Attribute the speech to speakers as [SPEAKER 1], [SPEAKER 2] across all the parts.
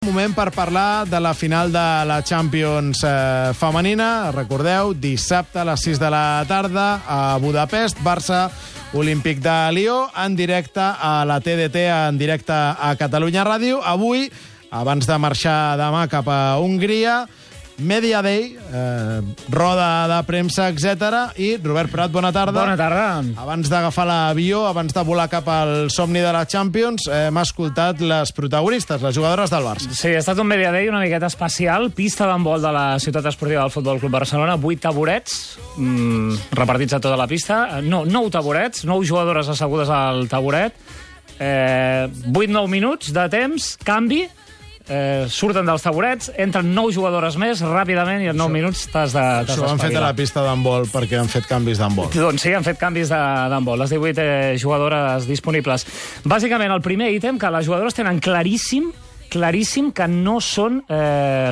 [SPEAKER 1] Moment per parlar de la final de la Champions femenina. Recordeu, dissabte a les 6 de la tarda a Budapest, Barça Olímpic de Lió, en directe a la TDT, en directe a Catalunya Ràdio. Avui, abans de marxar demà cap a Hongria, Media Day, roda de premsa, etc. I Robert Prat, bona tarda.
[SPEAKER 2] Bona tarda.
[SPEAKER 1] Abans d'agafar l'avió, abans de volar cap al somni de la Champions, hem escoltat les protagonistes, les jugadores del Barça.
[SPEAKER 2] Sí, ha estat un Media Day una miqueta especial. Pista d'handbol de la ciutat esportiva del Futbol Club Barcelona, 8 taburets repartits a tota la pista. 9 taburets, 9 jugadores assegudes al taburet. 8-9 minuts de temps, canvi. Surten dels taburets, entren 9 jugadores més ràpidament i en 9 minuts t'has d'espavilar.
[SPEAKER 1] Això ho han fet a la pista d'handbol perquè han fet canvis d'handbol.
[SPEAKER 2] Doncs sí, han fet canvis d'handbol. Les 18 jugadores disponibles. Bàsicament, el primer ítem, que les jugadores tenen claríssim que no són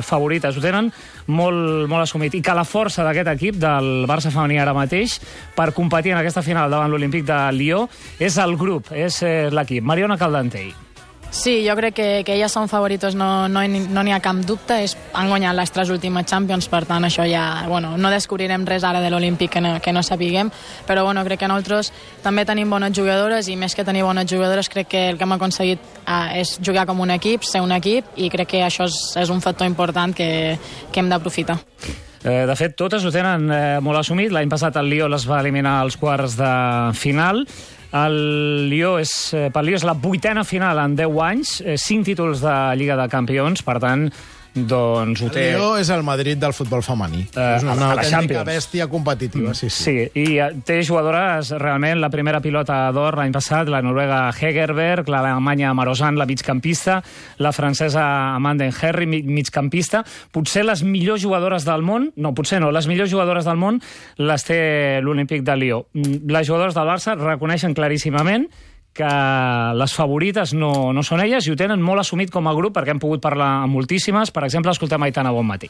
[SPEAKER 2] favorites. Ho tenen molt assumit. I que la força d'aquest equip, del Barça femení ara mateix, per competir en aquesta final davant l'Olímpic de Lió, és el grup, és l'equip. Mariona Caldentey.
[SPEAKER 3] Sí, jo crec que elles són favoritos, no n'hi ha cap dubte. Han guanyat les 3 últimes Champions, per tant, això ja... no descobrirem res ara de l'Olímpic que no sapiguem, però crec que nosaltres també tenim bones jugadores i més que tenir bones jugadores, crec que el que hem aconseguit és jugar com un equip, ser un equip, i crec que això és un factor important que hem d'aprofitar.
[SPEAKER 2] De fet, totes ho tenen molt assumit. L'any passat el Lió les va eliminar als quarts de final. El Lió és la 8a final en 10 anys, 5 títols de Lliga de Campions, per tant, doncs ho té...
[SPEAKER 1] El Lió és el Madrid del futbol femení. És una autèntica bèstia competitiva, sí.
[SPEAKER 2] Sí, i té jugadores, realment, la primera pilota d'or l'any passat, la noruega Hegerberg, l'alemanya Marozan, la migcampista, la francesa Amanda Henry, migcampista. Potser les millors jugadores del món, les millors jugadores del món les té l'Olímpic de Lió. Les jugadores del Barça reconeixen claríssimament que les favorites no són elles i ho tenen molt assumit com a grup, perquè hem pogut parlar amb moltíssimes. Per exemple, escoltem Aitana Bonmatí.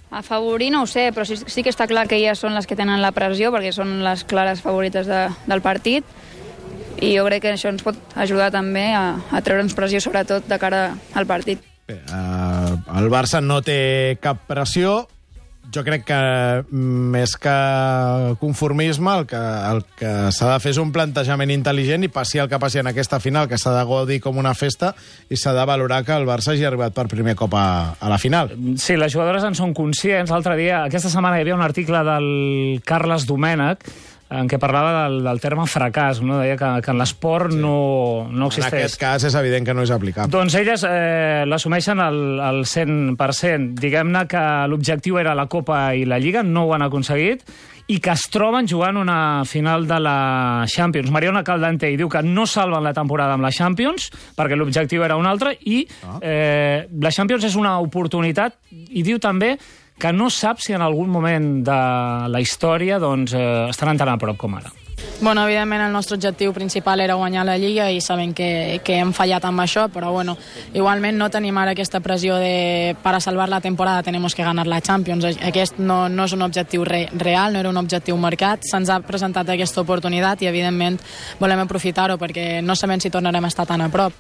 [SPEAKER 4] A favorir no ho sé, però sí que està clar que elles són les que tenen la pressió, perquè són les clares favorites del partit, i jo crec que això ens pot ajudar també a treure'ns pressió, sobretot de cara al partit.
[SPEAKER 1] Bé, el Barça no té cap pressió. Jo crec que més que conformisme, el que s'ha de fer és un plantejament intel·ligent i passi el que passi en aquesta final, que s'ha de gaudir com una festa i s'ha de valorar que el Barça hagi arribat per primer cop a la final.
[SPEAKER 2] Sí, les jugadores en són conscients. L'altre dia, aquesta setmana, hi havia un article del Carles Domènech en què parlava del terme fracàs, no? Deia que en l'esport no existeix.
[SPEAKER 1] En aquest cas és evident que no és aplicable.
[SPEAKER 2] Doncs elles l'assumeixen al 100%. Diguem-ne que l'objectiu era la Copa i la Lliga, no ho han aconseguit, i que es troben jugant una final de la Champions. Mariona Caldentey diu que no salven la temporada amb la Champions, perquè l'objectiu era un altre, i la Champions és una oportunitat, i diu també que no sap si en algun moment de la història estaran tan a prop com ara.
[SPEAKER 3] Evidentment el nostre objectiu principal era guanyar la Lliga i sabem que hem fallat amb això, però igualment no tenim ara aquesta pressió de para salvar la temporada tenemos que ganar la Champions. Aquest no és un objectiu real, no era un objectiu marcat. Se'ns ha presentat aquesta oportunitat i evidentment volem aprofitar-ho perquè no sabem si tornarem a estar tan a prop.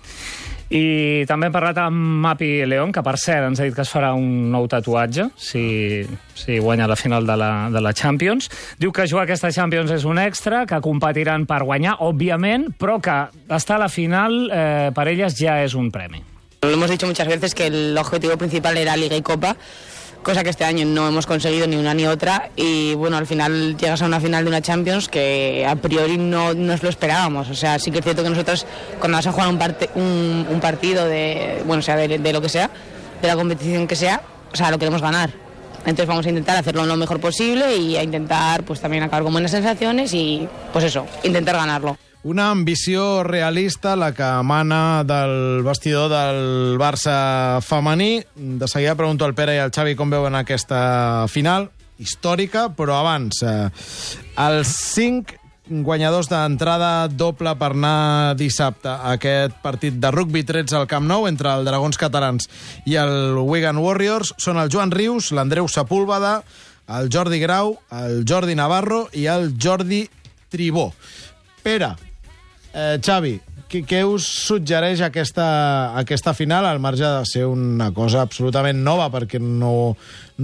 [SPEAKER 2] I també hem parlat amb Mapi León, que per cert ens ha dit que es farà un nou tatuatge si guanya la final de la Champions. Diu que jugar aquesta Champions és un extra, que competiran per guanyar, òbviament, però que estar a la final per elles ja és un premi.
[SPEAKER 5] Lo hemos dicho muchas veces que el objetivo principal era Liga y Copa, cosa que este año no hemos conseguido ni una ni otra, y al final llegas a una final de una Champions que a priori no nos lo esperábamos. O sea, sí que es cierto que nosotros cuando vas a jugar un partido de lo que sea, de la competición que sea, lo queremos ganar. Entonces vamos a intentar hacerlo lo mejor posible y a intentar también acabar con buenas sensaciones y intentar ganarlo.
[SPEAKER 1] Una ambició realista, la que emana del vestidor del Barça femení. De seguida pregunto al Pere i al Xavi com veuen aquesta final històrica, però abans, els 5 guanyadors d'entrada doble per anar dissabte a aquest partit de rugby 13 al Camp Nou entre el Dragons Catalans i el Wigan Warriors són el Joan Rius, l'Andreu Sepúlveda, el Jordi Grau, el Jordi Navarro i el Jordi Tribó. Pere, Xavi, Què us suggereix aquesta final, al marge de ser una cosa absolutament nova, perquè no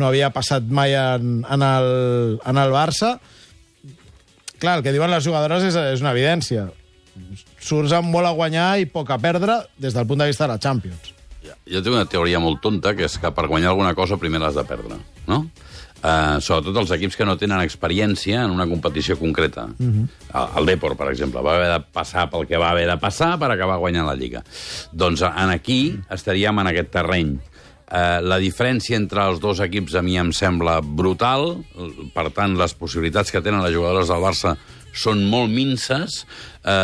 [SPEAKER 1] havia passat mai en el Barça? Clar, el que diuen les jugadores és una evidència. Surts amb molt a guanyar i poc a perdre des del punt de vista de la Champions.
[SPEAKER 6] Jo tinc una teoria molt tonta, que és que per guanyar alguna cosa primer l'has de perdre, no? Sobretot els equips que no tenen experiència en una competició concreta. El Depor, per exemple, va haver de passar pel que va haver de passar per acabar guanyant la Lliga. Doncs aquí estaríem en aquest terreny. La diferència entre els dos equips a mi em sembla brutal, per tant, les possibilitats que tenen les jugadores del Barça són molt minces.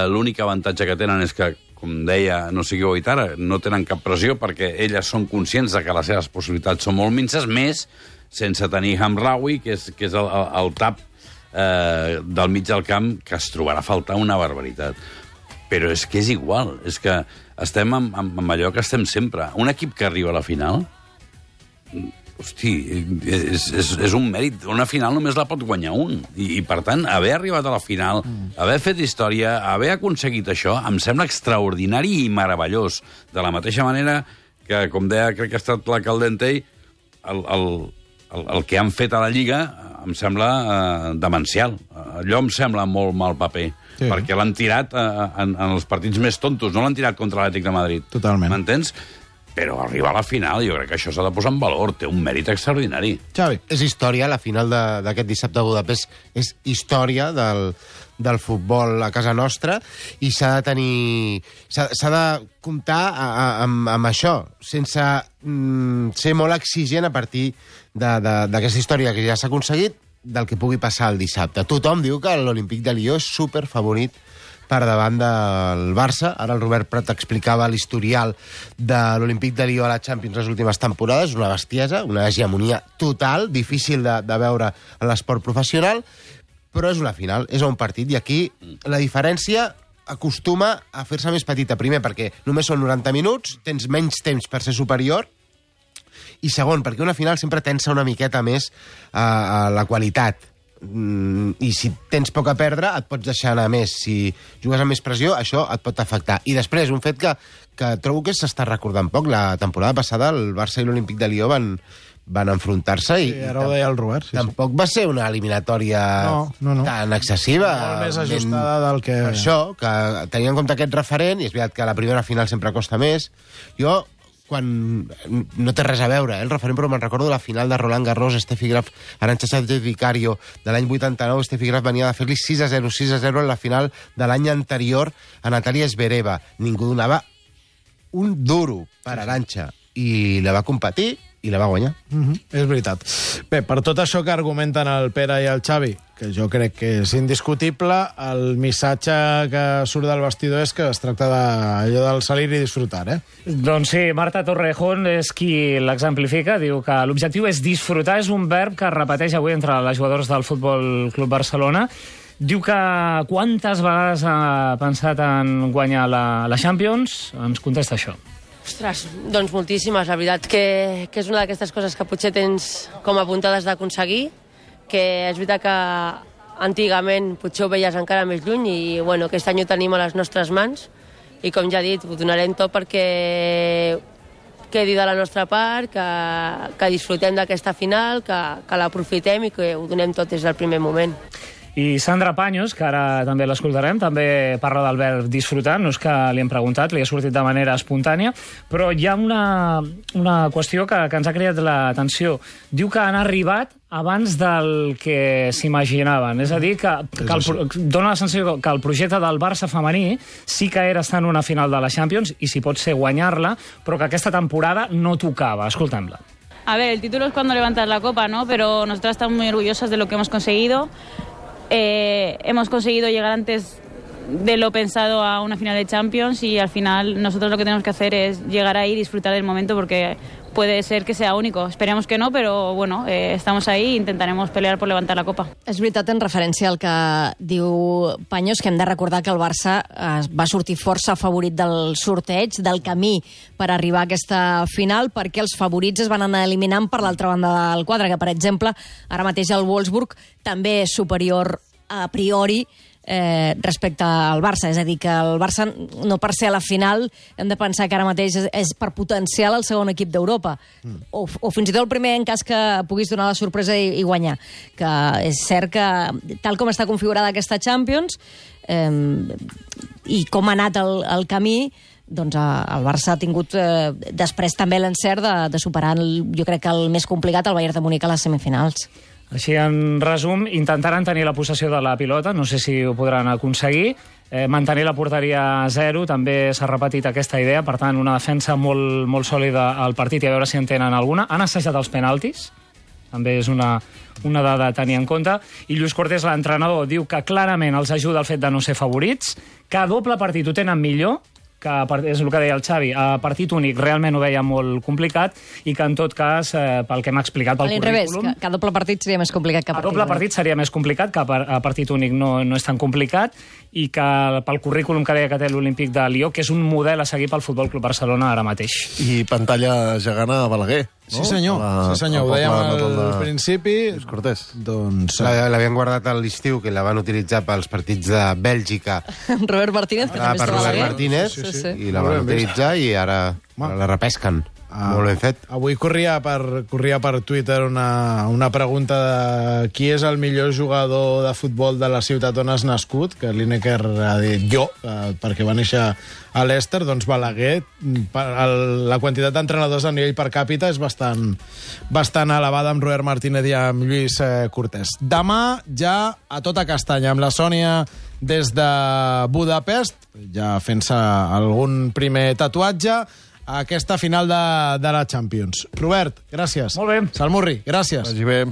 [SPEAKER 6] L'únic avantatge que tenen és que, com deia, no sigueu Itara, no tenen cap pressió perquè elles són conscients de que les seves possibilitats són molt minces, més sense tenir Hamraoui, que és el tap del mig del camp, que es trobarà a faltar una barbaritat. Però és que és igual, és que estem amb allò que estem sempre. Un equip que arriba a la final, hosti, és un mèrit. Una final només la pot guanyar un. I per tant, haver arribat a la final, haver fet història, haver aconseguit això, em sembla extraordinari i meravellós. De la mateixa manera que, com deia, crec que ha estat la Caldentei, el que han fet a la Lliga em sembla demencial. Allò em sembla molt mal paper, perquè l'han tirat en els partits més tontos, no l'han tirat contra l'Atlètic de Madrid.
[SPEAKER 1] Totalment.
[SPEAKER 6] M'entens? Però arribar a la final, jo crec que això s'ha de posar en valor, té un mèrit extraordinari.
[SPEAKER 1] Xavi.
[SPEAKER 7] És història, la final d'aquest dissabte a Budapest és història del futbol a casa nostra, i s'ha de comptar amb això, sense ser molt exigent a partir d'aquesta història que ja s'ha aconseguit, del que pugui passar el dissabte. Tothom diu que l'Olímpic de Lió és superfavorit per davant del Barça. Ara el Robert Prat explicava l'historial de l'Olímpic de Lió a la Champions les últimes temporades, una bestiesa, una hegemonia total, difícil de veure en l'esport professional, però és una final, és un partit, i aquí la diferència acostuma a fer-se més petita. Primer, perquè només són 90 minuts, tens menys temps per ser superior, i segon, perquè una final sempre tensa una miqueta més a la qualitat. I si tens poc a perdre, et pots deixar anar més. Si jugues amb més pressió, això et pot afectar. I després, un fet que trobo que s'està recordant poc. La temporada passada, el Barça i l'Olímpic de Lió van enfrontar-se i
[SPEAKER 1] ara ho deia el Robert.
[SPEAKER 7] Tampoc va ser una eliminatòria tan excessiva.
[SPEAKER 1] Molt més ajustada del que...
[SPEAKER 7] Per això, que tenia en compte aquest referent, i és veritat que la primera final sempre costa més. Jo, quan no té res a veure, el referent, però me'n recordo la final de Roland Garros, Steffi Graf, Arantxa Sánchez Vicario, de l'any 89. Steffi Graf venia de fer-li 6-0 en la final de l'any anterior a Natalia Zvereva. Ningú donava un duro per Arantxa, i la va competir i la va guanyar.
[SPEAKER 1] És veritat. Bé, per tot això que argumenten el Pere i el Xavi, que jo crec que és indiscutible, el missatge que surt del vestidor és que es tracta d'allò del salir i disfrutar,
[SPEAKER 2] Doncs sí, Marta Torrejón és qui l'exemplifica, diu que l'objectiu és disfrutar, és un verb que es repeteix avui entre les jugadores del Futbol Club Barcelona. Diu que quantes vegades ha pensat en guanyar la Champions? Ens contesta això.
[SPEAKER 8] Ostres, doncs moltíssimes. La veritat que és una d'aquestes coses que potser tens com apuntades d'aconseguir, que és veritat que antigament potser ho veies encara més lluny, i bueno, aquest any ho tenim a les nostres mans, i com ja he dit, ho donarem tot perquè quedi de la nostra part, que disfrutem d'aquesta final, que l'aprofitem i que ho donem tot des del primer moment.
[SPEAKER 2] I Sandra Paños, que ara també l'escoltarem, també parla del verb disfrutar, no és que li hem preguntat, li ha sortit de manera espontània, però hi ha una qüestió que ens ha creat l'atenció. Diu que han arribat abans del que s'imaginaven. És a dir, que dona la sensació que el projecte del Barça femení sí que era estar en una final de la Champions, i si pot ser guanyar-la, però que aquesta temporada no tocava. Escoltem-la.
[SPEAKER 9] A ver, el título es cuando levantas la copa, ¿no? Pero nosotras estamos muy orgullosas de lo que hemos conseguido. Hemos conseguido llegar antes de lo pensado a una final de Champions, y al final nosotros lo que tenemos que hacer es llegar ahí y disfrutar del momento, porque puede ser que sea único. Esperemos que no, pero bueno, estamos ahí e intentaremos pelear por levantar la copa.
[SPEAKER 10] És veritat, en referència al que diu Paños, que hem de recordar que el Barça va sortir força favorit del sorteig, del camí per arribar a aquesta final, perquè els favorits es van anar eliminant per l'altra banda del quadre, que per exemple, ara mateix el Wolfsburg també és superior a priori respecte al Barça. És a dir, que el Barça, no per ser a la final, hem de pensar que ara mateix és per potencial el segon equip d'Europa. O fins i tot el primer, en cas que puguis donar la sorpresa i guanyar. Que és cert que, tal com està configurada aquesta Champions, i com ha anat el camí, doncs el Barça ha tingut després també l'encert de superar, jo crec que el més complicat, el Bayern de Múnich a les semifinals.
[SPEAKER 2] Així, en resum, intentaran tenir la possessió de la pilota, no sé si ho podran aconseguir, mantenir la porteria a 0, també s'ha repetit aquesta idea, per tant, una defensa molt, molt sòlida al partit i a veure si en tenen alguna. Han assajat els penaltis, també és una dada a tenir en compte, i Lluís Cortés, l'entrenador, diu que clarament els ajuda el fet de no ser favorits, que a doble partit ho tenen millor, que és el que deia el Xavi, a partit únic realment ho veia molt complicat i que en tot cas, pel que m'ha explicat pel currículum...
[SPEAKER 10] que a doble partit seria més complicat que a partit únic.
[SPEAKER 2] A doble partit seria més complicat, que a partit únic no és tan complicat, i que pel currículum que deia que té l'Olímpic de Lió, que és un model a seguir pel Futbol Club Barcelona ara mateix.
[SPEAKER 11] I pantalla gegant a Balaguer.
[SPEAKER 1] No? Sí, senyor. Ho dèiem al principi.
[SPEAKER 11] Cortés.
[SPEAKER 7] Doncs l'havien guardat a l'estiu, que la van utilitzar pels partits de Bèlgica.
[SPEAKER 10] Robert Martínez, que també
[SPEAKER 7] per Robert Martínez, i la van utilitzar i ara la repesquen. Molt ben fet.
[SPEAKER 1] Avui corria per Twitter una pregunta de qui és el millor jugador de futbol de la ciutat on has nascut, que Lineker ha dit jo, perquè va néixer a l'Ester. Doncs Balaguer, la quantitat d'entrenadors a nivell per càpita és bastant elevada, amb Robert Martínez i amb Lluís Cortés. Demà ja a tota castanya, amb la Sònia des de Budapest, ja fent-se algun primer tatuatge, a aquesta final de la Champions. Robert, gràcies.
[SPEAKER 2] Molt bé.
[SPEAKER 1] Salmurri, gràcies.
[SPEAKER 11] Vagi bé.